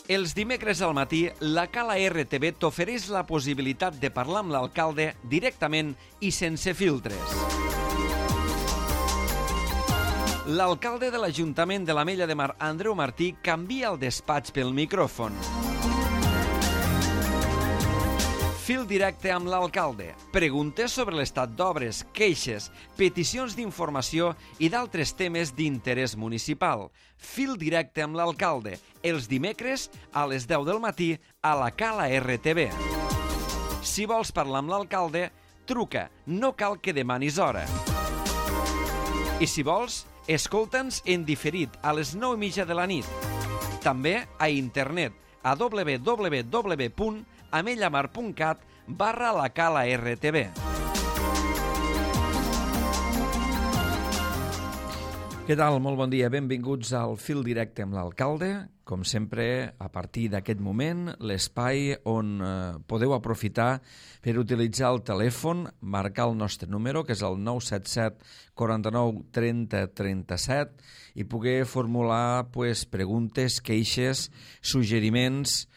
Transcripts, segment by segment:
Els dimecres al matí, la Cala RTV t'ofereix la possibilitat de parlar amb l'alcalde directament i sense filtres. L'alcalde de l'Ajuntament de l'Ametlla de Mar, Andreu Martí, canvia el despatx pel micròfon. Fil directe amb l'alcalde. Preguntes sobre l'estat d'obres, queixes, peticions d'informació i d'altres temes d'interès municipal. Fil directe amb l'alcalde. Els dimecres a les 10 del matí a la Cala RTV. Si vols parlar amb l'alcalde, truca. No cal que demanis hora. I si vols, escolta'ns en diferit a les 9:30 de la nit. També a internet a www.amellamar.cat/la Cala RTV. Què tal? Molt bon dia. Benvinguts al Fil Directe amb l'alcalde. Com sempre, a partir d'aquest moment, l'espai on podeu aprofitar per utilitzar el telèfon, marcar el nostre número, que és el 977 49 30 37, i poder formular preguntes, queixes, suggeriments,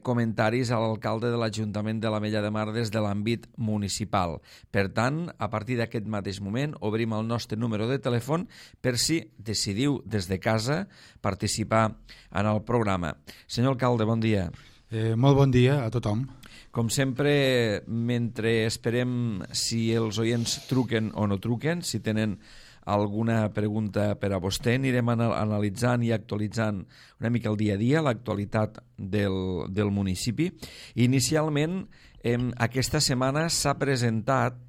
comentaris a l'alcalde de l'Ajuntament de l'Ametlla de Mar des de l'àmbit municipal. Per tant, a partir d'aquest mateix moment, obrim el nostre número de telèfon per si decidiu des de casa participar en el programa. Senyor alcalde, bon dia. Molt bon dia a tothom. Com sempre, mentre esperem si els oients truquen o no truquen, si tenen alguna pregunta per a vostè, anirem analitzant i actualitzant una mica el dia a dia, l'actualitat del municipi. Inicialment, aquesta setmana s'ha presentat,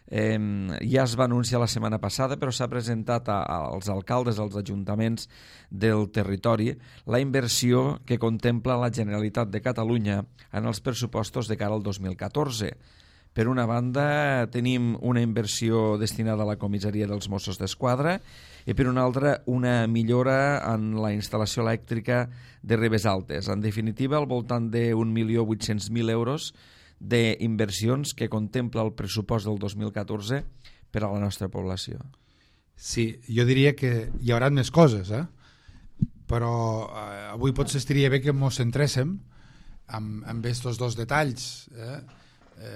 ja es va anunciar la setmana passada, però s'ha presentat als alcaldes, als ajuntaments del territori, la inversió que contempla la Generalitat de Catalunya en els pressupostos de cara al 2014. Per una banda, tenim una inversió destinada a la comissaria dels Mossos d'Esquadra i per una altra, una millora en la instal·lació elèctrica de Ribes Altes. En definitiva, al voltant d'1.800.000 euros d'inversions que contempla el pressupost del 2014 per a la nostra població. Sí, jo diria que hi haurà més coses, però avui potser estaria bé que ens centréssim en aquests dos detalls,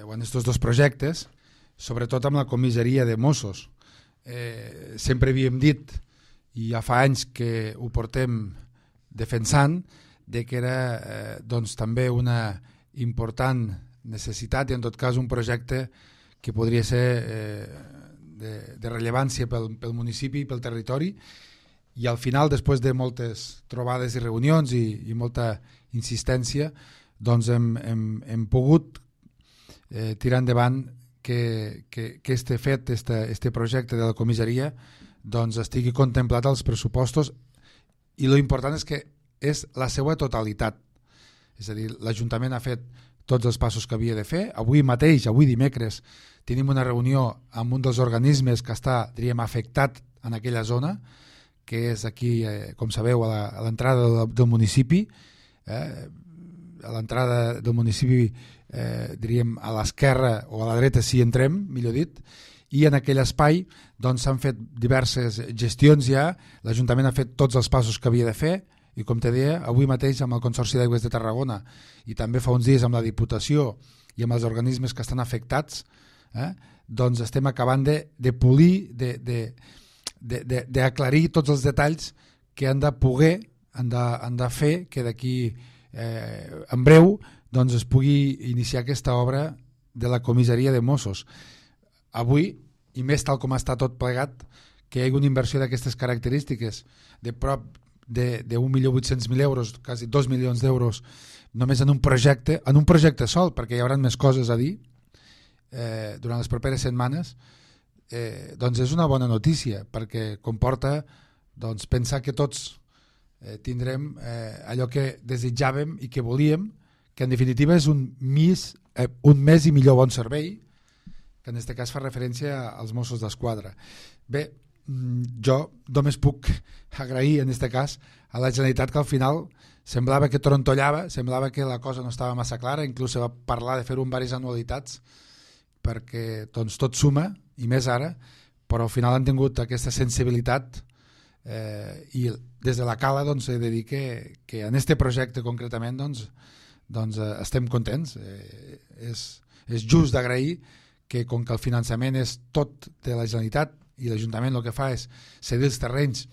o en aquests dos projectes, sobretot amb la comissaria de Mossos. Sempre havíem dit, i ja fa anys que ho portem defensant, que era també una important necessitat i en tot cas un projecte que podria ser de rellevància pel municipi i pel territori, i al final, després de moltes trobades i reunions i molta insistència, doncs hem pogut tirar endavant que este projecte de la comissaria doncs estigui contemplat als pressupostos, i lo important és que és la seva totalitat. És a dir, l'Ajuntament ha fet tots els passos que havia de fer. Avui mateix, avui dimecres, tenim una reunió amb un dels organismes que està, diríem, afectat en aquella zona, que és aquí, com sabeu, a l'entrada del municipi, a l'entrada del municipi, diríem, a l'esquerra o a la dreta si entrem, millor dit, i en aquell espai doncs s'han fet diverses gestions ja, l'Ajuntament ha fet tots els passos que havia de fer, i com te deia, avui mateix amb el Consorci d'Aigües de Tarragona i també fa uns dies amb la Diputació i amb els organismes que estan afectats, doncs estem acabant de polir, d'aclarir tots els detalls que han de poder, han de fer que d'aquí en breu doncs es pugui iniciar aquesta obra de la comissaria de Mossos. Avui, i més tal com està tot plegat, que hi hagi una inversió d'aquestes característiques de prop d'1.800.000 euros, quasi 2 milions d'euros, només en un projecte sol, perquè hi haurà més coses a dir durant les properes setmanes, doncs és una bona notícia, perquè comporta pensar que tots tindrem allò que desitjàvem i que volíem, que en definitiva és un més i millor bon servei, que en aquest cas fa referència als Mossos d'Esquadra. Bé, jo només puc agrair en aquest cas a la Generalitat, que al final semblava que trontollava, semblava que la cosa no estava massa clara, inclús se va parlar de fer-ho en diverses anualitats perquè doncs, tot suma, i més ara, però al final han tingut aquesta sensibilitat i des de la Cala he de dir que en aquest projecte concretament estem contents. És just d'agrair que com que el finançament és tot de la Generalitat i l'Ajuntament el que fa és cedir els terrenys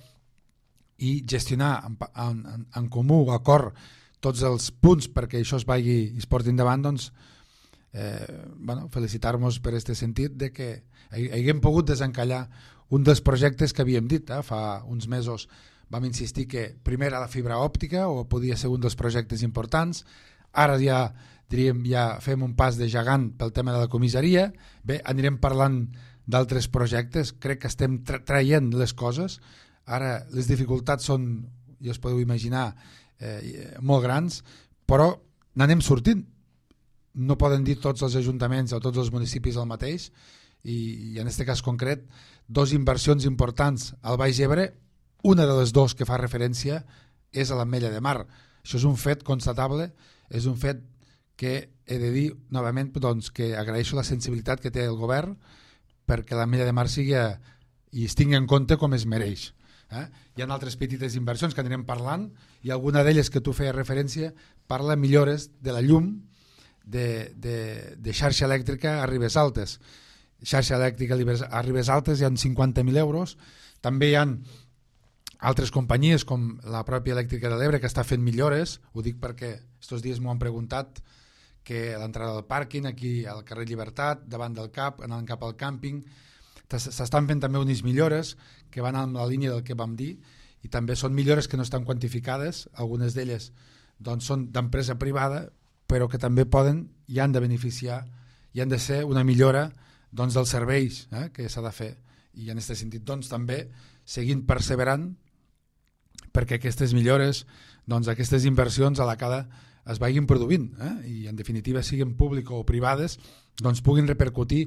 i gestionar en comú, acord, tots els punts perquè això es vagi i es porti endavant, felicitar-nos per aquest sentit de que haguem pogut desencallar un dels projectes que havíem dit. Fa uns mesos vam insistir que primer era la fibra òptica o podia ser un dels projectes importants. Ara ja fem un pas de gegant pel tema de la comissaria. Bé, anirem parlant d'altres projectes. Crec que estem traient les coses. Ara les dificultats són, ja us podeu imaginar, molt grans, però n'anem sortint. No poden dir tots els ajuntaments o tots els municipis el mateix, i en aquest cas concret, dos inversions importants al Baix Ebre. Una de les dues que fa referència és a l'Ametlla de Mar. Això és un fet constatable, és un fet que he de dir novament que agraeixo la sensibilitat que té el govern perquè l'Ametlla de Mar sigui i es tingui en compte com es mereix. Hi ha altres petites inversions que anirem parlant, i alguna d'elles que tu feies referència parla millores de la llum de xarxa elèctrica a Ribes Altes. Xarxa elèctrica a Ribes Altes hi ha 50.000 euros. També hi ha altres companyies com la pròpia Elèctrica de l'Ebre que està fent millores. Ho dic perquè estos dies m'ho han preguntat, que a l'entrada del pàrquing aquí al carrer Llibertat, davant del CAP, anant cap al càmping, s'estan fent també unes millores que van en la línia del que vam dir, i també són millores que no estan quantificades. Algunes d'elles són d'empresa privada, però que també poden i han de beneficiar i han de ser una millora dels serveis que s'ha de fer. I en aquest sentit també seguint perseverant perquè aquestes millores, aquestes inversions a la Cala es vagin produint, i en definitiva siguin públiques o privades, puguin repercutir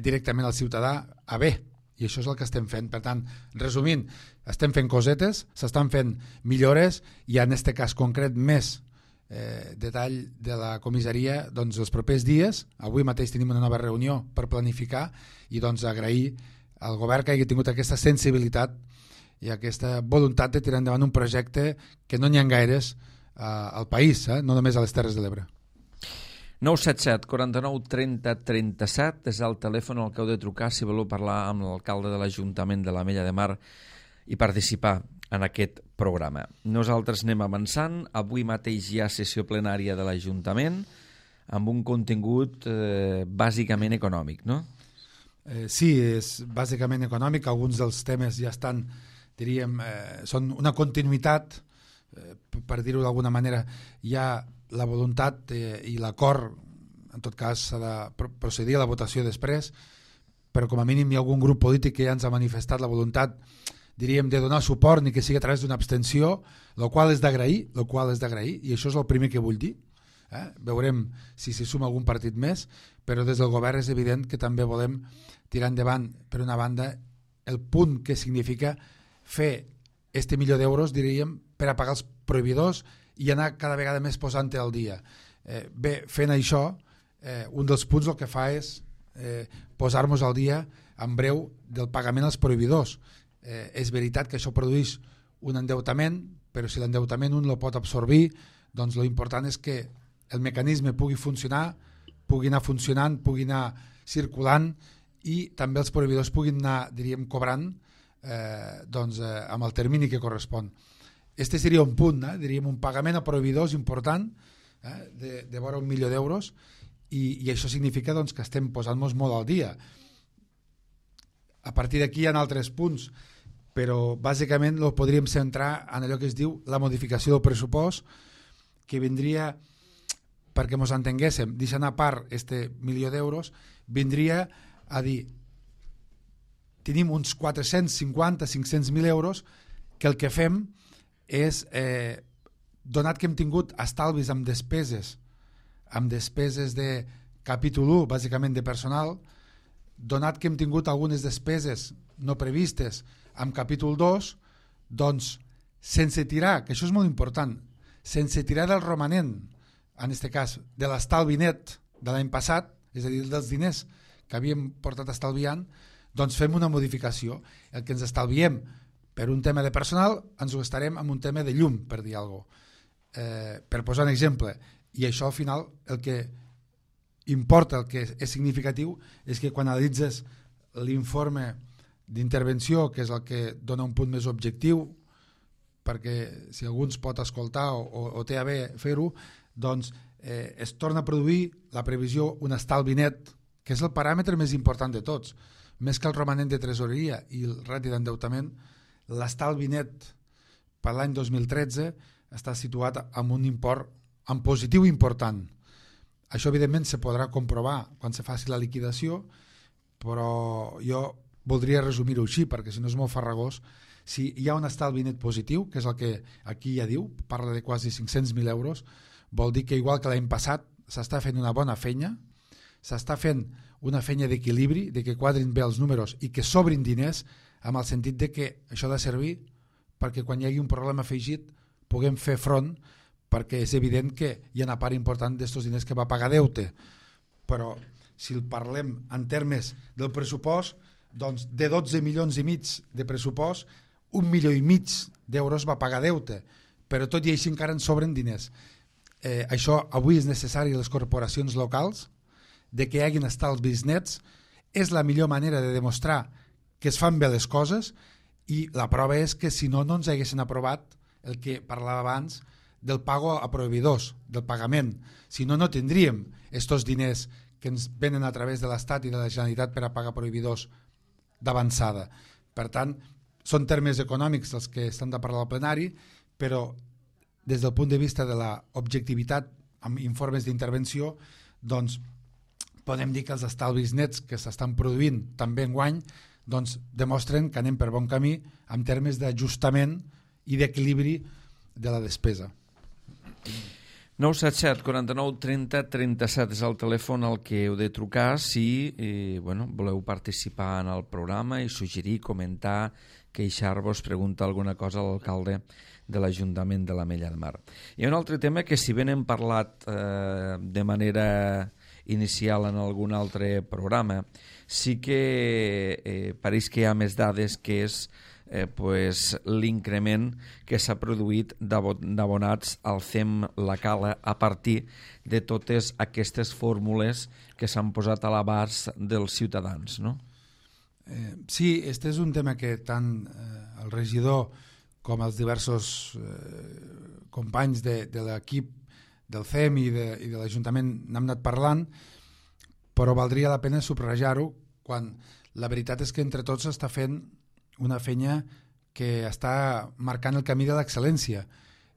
directament al ciutadà a bé, i això és el que estem fent. Per tant, resumint, estem fent cosetes, s'estan fent millores, i en aquest cas concret més detall de la comissaria els propers dies. Avui mateix tenim una nova reunió per planificar, i agrair al govern que hagi tingut aquesta sensibilitat i aquesta voluntat de tirar endavant un projecte que no n'hi ha gaires al país, no només a les Terres de l'Ebre. 977 49 30 37 és el telèfon al que heu de trucar si voleu parlar amb l'alcalde de l'Ajuntament de l'Ametlla de Mar i participar en aquest programa. Nosaltres anem avançant. Avui mateix hi ha sessió plenària de l'Ajuntament amb un contingut bàsicament econòmic, no? Sí, és bàsicament econòmic. Alguns dels temes ja estan, diríem, són una continuïtat, per dir-ho d'alguna manera. Hi ha la voluntat i l'acord, en tot cas s'ha de procedir a la votació després, però com a mínim hi ha algun grup polític que ja ens ha manifestat la voluntat, diríem, de donar suport, ni que sigui a través d'una abstenció, el qual és d'agrair, i això és el primer que vull dir. Veurem si s'hi suma algun partit més, però des del govern és evident que també volem tirar endavant, per una banda, el punt que significa fer este milió d'euros, diríem, per a pagar els proveïdors i anar cada vegada més posant-te al dia. Bé, fent això, un dels punts el que fa és posar-nos al dia en breu del pagament als proveïdors. És veritat que això produeix un endeutament, però si l'endeutament un el pot absorbir, doncs l'important és que el mecanisme pugui funcionar, pugui anar funcionant, pugui anar circulant, i també els proveïdors puguin anar, diríem, cobrant amb el termini que correspon. Este seria un punt, diríem, un pagament a proveïdors important, de vora 1 milió d'euros, i això significa que estem posant-nos molt al dia. A partir d'aquí hi ha altres punts, però bàsicament el podríem centrar en allò que es diu la modificació del pressupost, que vindria, perquè ens entenguéssim, deixant a part este milió d'euros, vindria a dir, tenim uns 450-500.000 euros que el que fem és, donat que hem tingut estalvis amb despeses de capítol 1, bàsicament de personal, donat que hem tingut algunes despeses no previstes amb capítol 2, doncs sense tirar, que això és molt important, sense tirar del romanent, en aquest cas de l'estalvi net de l'any passat, és a dir, dels diners que havíem portat estalviant, doncs fem una modificació. El que ens estalviem per un tema de personal ens ho gastarem en un tema de llum, per dir alguna cosa. Per posar un exemple, i això al final el que importa, el que és significatiu, és que quan analitzes l'informe d'intervenció, que és el que dona un punt més objectiu, perquè si algú ens pot escoltar o té a bé fer-ho, doncs es torna a produir la previsió un estalvi net, que és el paràmetre més important de tots, més que el romanent de tresoreria i el rati d'endeutament. L'estalvi net per l'any 2013 està situat en un import en positiu important. Això evidentment se podrà comprovar quan se faci la liquidació, però jo voldria resumir-ho així, perquè si no és molt farragós. Si hi ha un estalvi net positiu, que és el que aquí ja diu, parla de quasi 500.000 euros, vol dir que igual que l'any passat s'està fent una bona feina, s'està fent una feina d'equilibri, de que quadrin bé els números i que sobrin diners, amb el sentit de que això ha de servir perquè quan hi hagi un problema afegit puguem fer front, perquè és evident que hi ha una part important d'estos diners que va pagar deute. Però si el parlem en termes del pressupost, doncs de 12 milions i mig de pressupost, 1,5 milió d'euros va pagar deute, però tot i així encara en sobren diners. Això avui és necessari a les corporacions locals, de que hi hagin estalvis nets, és la millor manera de demostrar que es fan bé les coses, i la prova és que si no, no ens haguessin aprovat el que parlava abans del pago a proveïdors, del pagament. Si no, no tindríem estos diners que ens venen a través de l'Estat i de la Generalitat per a pagar proveïdors d'avançada. Per tant, són termes econòmics els que estan de parlar al plenari, però des del punt de vista de l'objectivitat amb informes d'intervenció, doncs podem dir que els estalvis nets que s'estan produint també enguany doncs demostren que anem per bon camí en termes d'ajustament i d'equilibri de la despesa. 977 49 30 37 és el telèfon al que heu de trucar si voleu participar en el programa i suggerir, comentar, queixar-vos, preguntar alguna cosa a l'alcalde de l'Ajuntament de l'Ametlla de Mar. Hi ha un altre tema que, si ben hem parlat de manera inicial en algun altre programa, sí que pareix que hi ha més dades, que és l'increment que s'ha produït d'abonats al CEM La Cala a partir de totes aquestes fórmules que s'han posat a l'abast dels ciutadans, no? Sí, este és un tema que tant el regidor com els diversos companys de l'equip del CEM i de l'Ajuntament n'hem anat parlant, però valdria la pena subratllar-ho quan la veritat és que entre tots s'està fent una feina que està marcant el camí de l'excel·lència,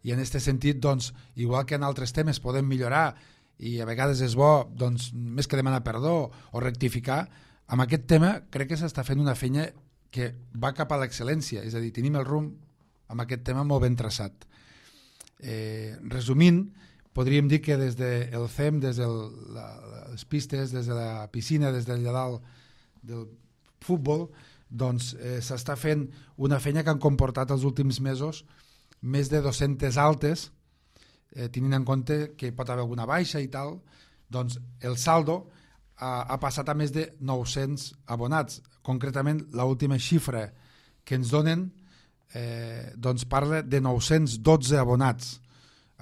i en aquest sentit, doncs, igual que en altres temes podem millorar i a vegades és bo, doncs, més que demanar perdó o rectificar, amb aquest tema crec que s'està fent una feina que va cap a l'excel·lència, és a dir, tenim el rumb amb aquest tema molt ben traçat. Resumint, podríem dir que des del CEM, des de les pistes, des de la piscina, des d'allà dalt del futbol, doncs s'està fent una feina que han comportat els últims mesos més de 200 altes, tenint en compte que pot haver alguna baixa i tal, doncs el saldo ha passat a més de 900 abonats. Concretament, l'última xifra que ens donen doncs parla de 912 abonats.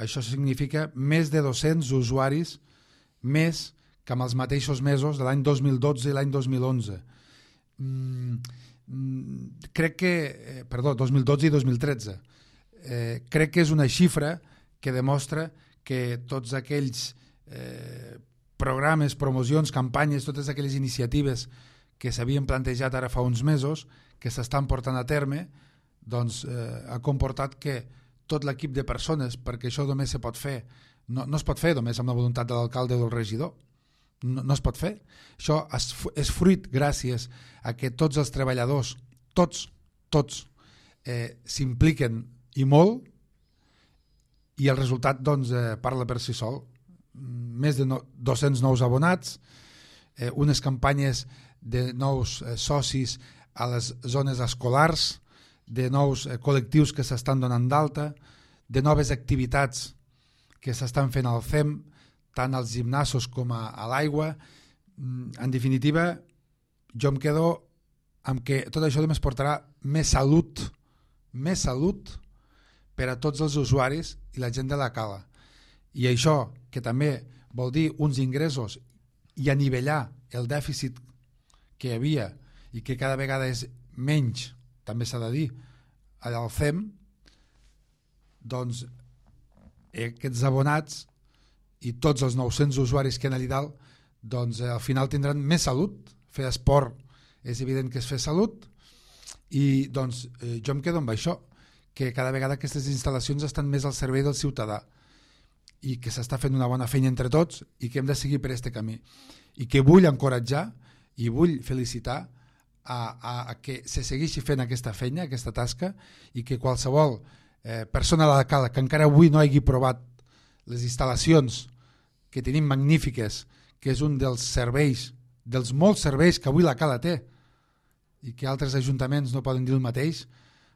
Això significa més de 200 usuaris més que amb els mateixos mesos de l'any 2012 i l'any 2011. Crec que 2012 i 2013 crec que és una xifra que demostra que tots aquells programes, promocions, campanyes, totes aquelles iniciatives que s'havien plantejat ara fa uns mesos, que s'estan portant a terme, doncs ha comportat que tot l'equip de persones, perquè això només se pot fer, no es pot fer només amb la voluntat de l'alcalde o del regidor, no es pot fer. Això és fruit gràcies a que tots els treballadors, tots s'impliquen i molt, i el resultat doncs parla per si sol. Més de 200 nous abonats, unes campanyes de nous socis a les zones escolars, de nous col·lectius que s'estan donant d'alta, de noves activitats que s'estan fent al CEM, tant als gimnasos com a l'aigua. En definitiva, jo em quedo amb que tot això només portarà més salut més salut per a tots els usuaris i la gent de la cala. I això, que també vol dir uns ingressos i anivellar el dèficit que hi havia i que cada vegada és menys, també s'ha de dir, al CEM, doncs aquests abonats i tots els 900 usuaris que hi ha allà dalt, doncs al final tindran més salut. Fer esport és evident que és fer salut, i doncs jo em quedo amb això, que cada vegada aquestes instal·lacions estan més al servei del ciutadà i que s'està fent una bona feina entre tots i que hem de seguir per aquest camí, i que vull encoratjar i vull felicitar a que se segueixi fent aquesta feina, aquesta tasca, i que qualsevol persona de la cala que encara avui no hagi provat les instal·lacions que tenim magnífiques, que és un dels serveis, dels molts serveis que avui la cala té i que altres ajuntaments no poden dir el mateix,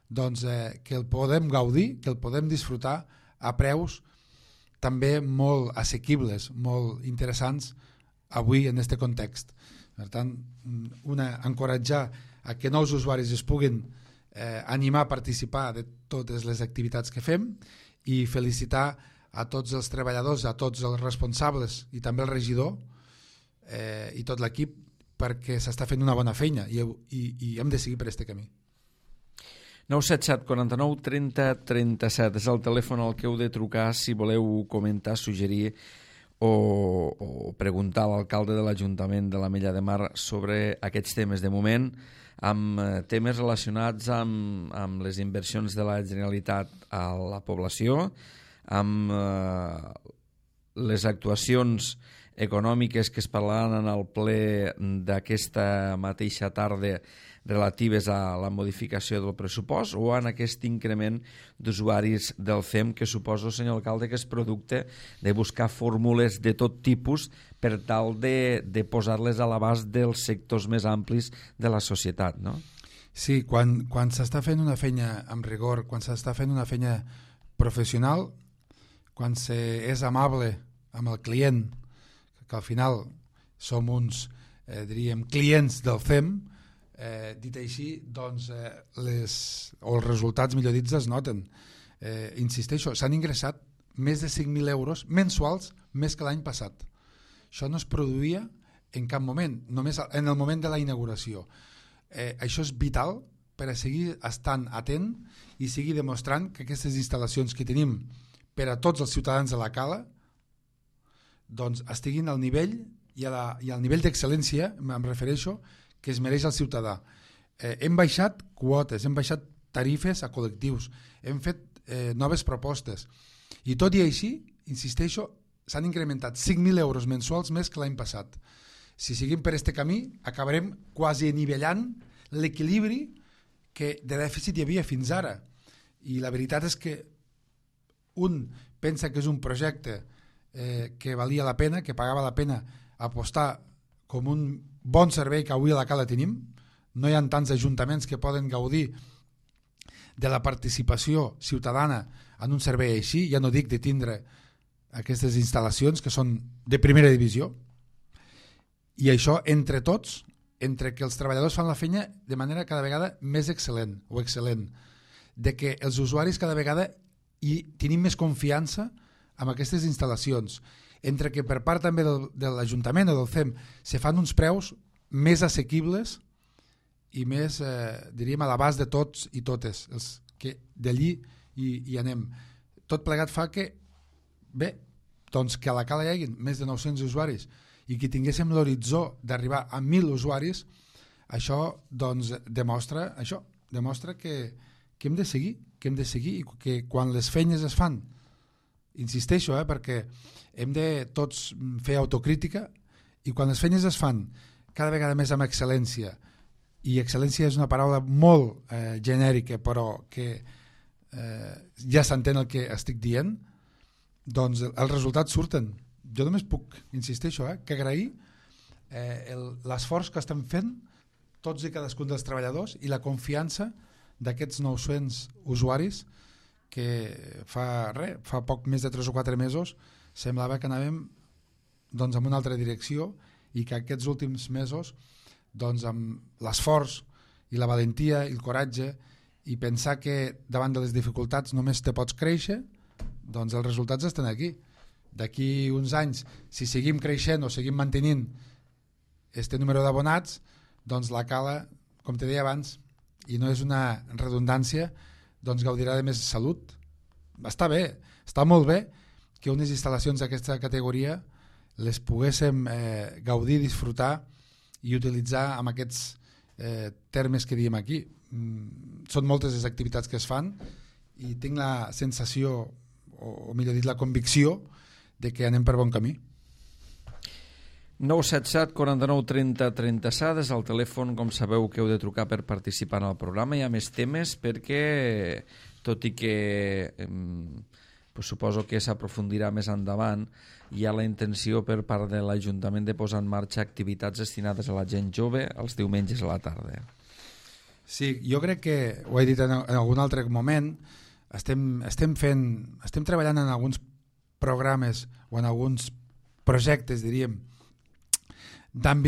doncs que el podem gaudir, que el podem disfrutar a preus també molt assequibles, molt interessants avui en aquest context. Per tant, encoratjar a que nous usuaris es puguin animar a participar de totes les activitats que fem, i felicitar a tots els treballadors, a tots els responsables i també el regidor i tot l'equip, perquè s'està fent una bona feina i hem de seguir per aquest camí. 977 49 30 37 és el telèfon al que heu de trucar si voleu comentar, suggerir o preguntar a l'alcalde de l'Ajuntament de l'Ametlla de Mar sobre aquests temes. De moment, amb temes relacionats amb les inversions de la Generalitat a la població, amb les actuacions econòmiques que es parlaran en el ple d'aquesta mateixa tarda relatives a la modificació del pressupost, o en aquest increment d'usuaris del CEM, que suposo, senyor alcalde, que és producte de buscar fórmules de tot tipus per tal de posar-les a l'abast dels sectors més amplis de la societat, no? Sí, quan s'està fent una feina amb rigor, quan s'està fent una feina professional, quan és amable amb el client, que al final som uns, diríem, clients del CEM, dit així, doncs els resultats, millor dit, es noten. Insisteixo, s'han ingressat més de 5.000 euros mensuals més que l'any passat. Això no es produïa en cap moment, només en el moment de la inauguració. Això és vital per a seguir estant atent i seguir demostrant que aquestes instal·lacions que tenim per a tots els ciutadans de la cala doncs estiguin al nivell i al nivell d'excel·lència, em refereixo, que es mereix el ciutadà. Hem baixat quotes, hem baixat tarifes a col·lectius, hem fet noves propostes, i tot i així, insisteixo, s'han incrementat 5.000 euros mensuals més que l'any passat. Si seguim per aquest camí, acabarem quasi anivellant l'equilibri que de dèficit hi havia fins ara. I la veritat és que un pensa que és un projecte que valia la pena, que pagava la pena apostar com un bon servei que avui a la cala tenim. No hi ha tants ajuntaments que poden gaudir de la participació ciutadana en un servei així, ja no dic de tindre aquestes instal·lacions que són de primera divisió, i això entre tots, entre que els treballadors fan la feina de manera cada vegada més excel·lent o excel·lent, de que els usuaris cada vegada tenim més confiança amb aquestes instal·lacions, entre que per part també de l'Ajuntament o del CEM se fan uns preus més assequibles i més, diríem, a l'abast de tots i totes els que d'allí hi anem. Tot plegat fa que, bé, doncs que a la cala hi hagi més de 900 usuaris i que tinguéssim l'horitzó d'arribar a 1.000 usuaris, això doncs demostra que hem de seguir i que quan les feines es fan, insisteixo, perquè hem de tots fer autocrítica, i quan les feines es fan cada vegada més amb excel·lència, i excel·lència és una paraula molt genèrica però que ja s'entén el que estic dient, doncs els resultats surten. Jo només puc, insisteixo, que agrair l'esforç que estan fent tots i cadascun dels treballadors i la confiança d'aquests 900 usuaris que fa poc més de 3 o 4 mesos semblava que anàvem doncs, en una altra direcció, i que aquests últims mesos doncs, amb l'esforç i la valentia i el coratge i pensar que davant de les dificultats només te pots créixer, doncs els resultats estan aquí. D'aquí uns anys, si seguim creixent o seguim mantenint este número d'abonats, doncs la Cala, com te deia abans, i no és una redundància, doncs gaudirà de més salut. Està bé, està molt bé que unes instal·lacions d'aquesta categoria les poguéssim gaudir, disfrutar i utilitzar amb aquests termes que diem aquí. Són moltes les activitats que es fan i tinc la sensació, o millor dit la convicció, de que anem per bon camí. 977 49 30 37 és el telèfon, com sabeu, que heu de trucar per participar en el programa. Hi ha més temes perquè, tot i que suposo que s'aprofundirà més endavant, hi ha la intenció per part de l'Ajuntament de posar en marxa activitats destinades a la gent jove els diumenges a la tarda. Sí, jo crec que, ho he dit en algun altre moment, estem treballant en alguns programes o en alguns projectes, diríem, amb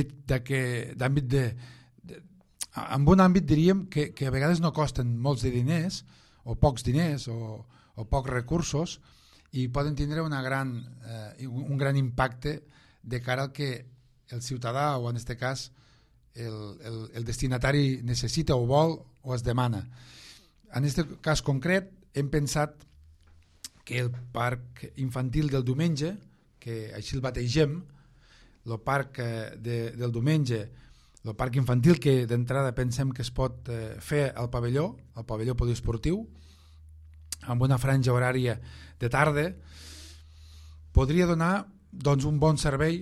un àmbit, diríem, que a vegades no costen molts de diners, o pocs diners, o pocs recursos, i poden tindre un gran impacte de cara al que el ciutadà, o en aquest cas el destinatari necessita o vol o es demana. En aquest cas concret hem pensat que el parc infantil del diumenge, que així el bategem, el parc del diumenge, el parc infantil, que d'entrada pensem que es pot fer al pavelló poliesportiu, amb una franja horària de tarda, podria donar doncs, un bon servei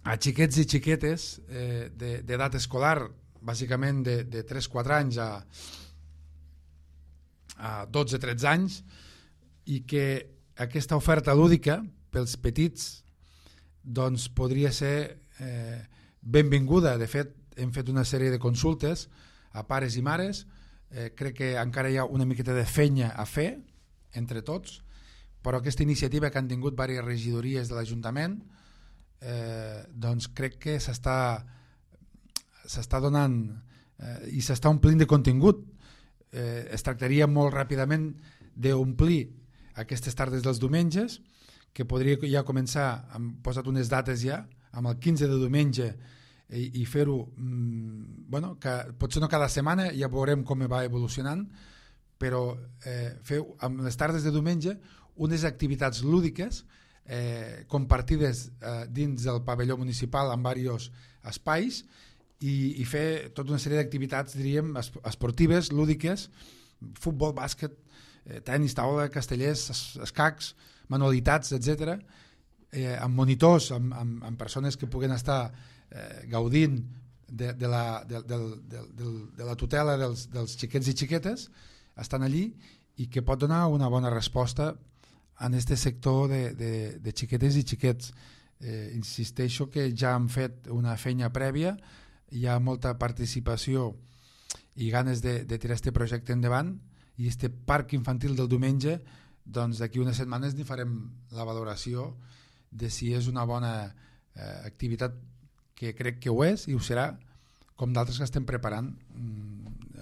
a xiquets i xiquetes d'edat escolar, bàsicament de 3-4 anys a 12-13 anys, i que aquesta oferta lúdica pels petits doncs, podria ser benvinguda. De fet, hem fet una sèrie de consultes a pares i mares. Crec que encara hi ha una miqueta de feina a fer entre tots, però aquesta iniciativa que han tingut diverses regidories de l'Ajuntament doncs crec que s'està donant i s'està omplint de contingut. Es tractaria molt ràpidament d'omplir aquestes tardes dels diumenges, que podria ja començar, hem posat unes dates ja, amb el 15 de diumenge, i fer-ho, que potser no cada setmana, ja veurem com va evolucionant, però fer amb les tardes de diumenge unes activitats lúdiques compartides dins del pavelló municipal en diversos espais, i fer tota una sèrie d'activitats, diríem, esportives, lúdiques, futbol, bàsquet, tenis, taula, castellers, escacs, manualitats, etc., amb monitors, amb persones que puguen estar gaudint de la tutela dels xiquets i xiquetes, estan allí, i que pot donar una bona resposta en aquest sector de xiquetes i xiquets. Insisteixo que ja han fet una feina prèvia, hi ha molta participació i ganes de tirar aquest projecte endavant, i aquest parc infantil del diumenge, doncs d'aquí unes setmanes n'hi farem la valoració de si és una bona activitat, que crec que ho és i ho serà, com d'altres que estem preparant.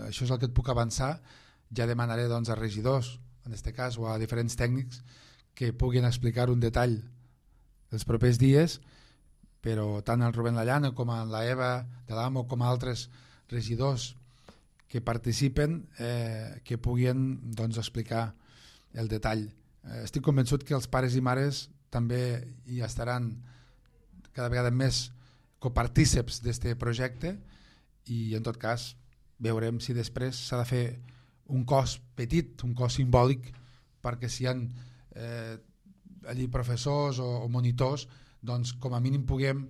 Això és el que et puc avançar. Ja demanaré doncs, a regidors, en aquest cas, o a diferents tècnics, que puguin explicar un detall els propers dies, però tant el Rubén Lallana com la Eva de l'Amo com altres regidors que participen, que puguin doncs, explicar el detall. Estic convençut que els pares i mares també hi estaran cada vegada més copartíceps d'aquest projecte, i en tot cas veurem si després s'ha de fer un cost petit, un cost simbòlic, perquè si hi ha allí professors o monitors, doncs com a mínim puguem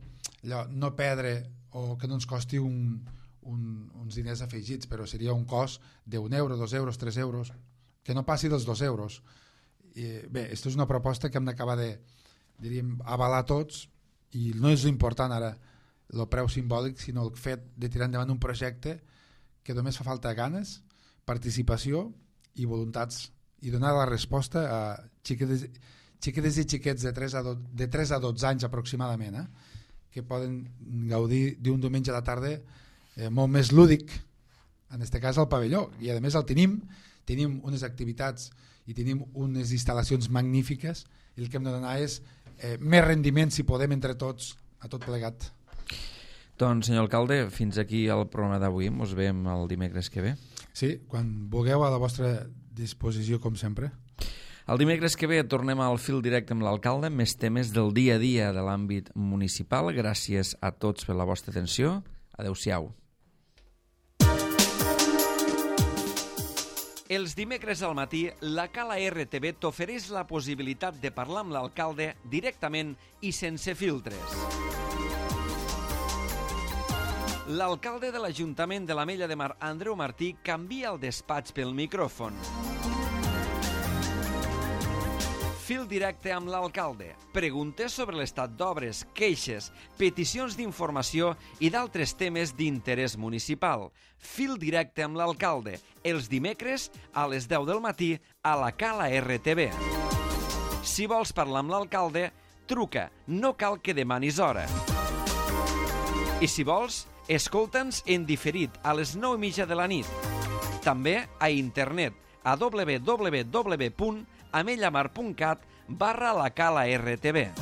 no perdre, o que no ens costi uns diners afegits, però seria un cost d'1 euro, 2 euros, 3 euros, que no passi dels 2 euros. Bé, aquesta és una proposta que hem d'acabar de, diríem, avalar tots, i no és important ara el preu simbòlic, sinó el fet de tirar endavant un projecte que només fa falta ganes, participació i voluntats, i donar la resposta a xiquetes i xiquets de 3 a 12 anys aproximadament, que poden gaudir d'un diumenge a la tarda molt més lúdic en aquest cas al pavelló, i a més el tenim unes activitats i tenim unes instal·lacions magnífiques, i el que hem de donar és més rendiment, si podem, entre tots, a tot plegat. Doncs, senyor alcalde, fins aquí el programa d'avui. Ens veiem el dimecres que ve. Sí, quan vulgueu, a la vostra disposició, com sempre. El dimecres que ve tornem al fil directe amb l'alcalde, més temes del dia a dia de l'àmbit municipal. Gràcies a tots per la vostra atenció. Adéu-siau. Els dimecres al matí, la Cala RTV t'ofereix la possibilitat de parlar amb l'alcalde directament i sense filtres. L'alcalde de l'Ajuntament de l'Ametlla de Mar, Andreu Martí, canvia el despatx pel micròfon. Fil directe amb l'alcalde. Preguntes sobre l'estat d'obres, queixes, peticions d'informació i d'altres temes d'interès municipal. Fil directe amb l'alcalde. Els dimecres a les 10 del matí a la Cala RTV. Si vols parlar amb l'alcalde, truca. No cal que demanis hora. I si vols, escolta'ns en diferit a les 9:30 de la nit. També a internet a www.amellamar.cat/la Cala RTV.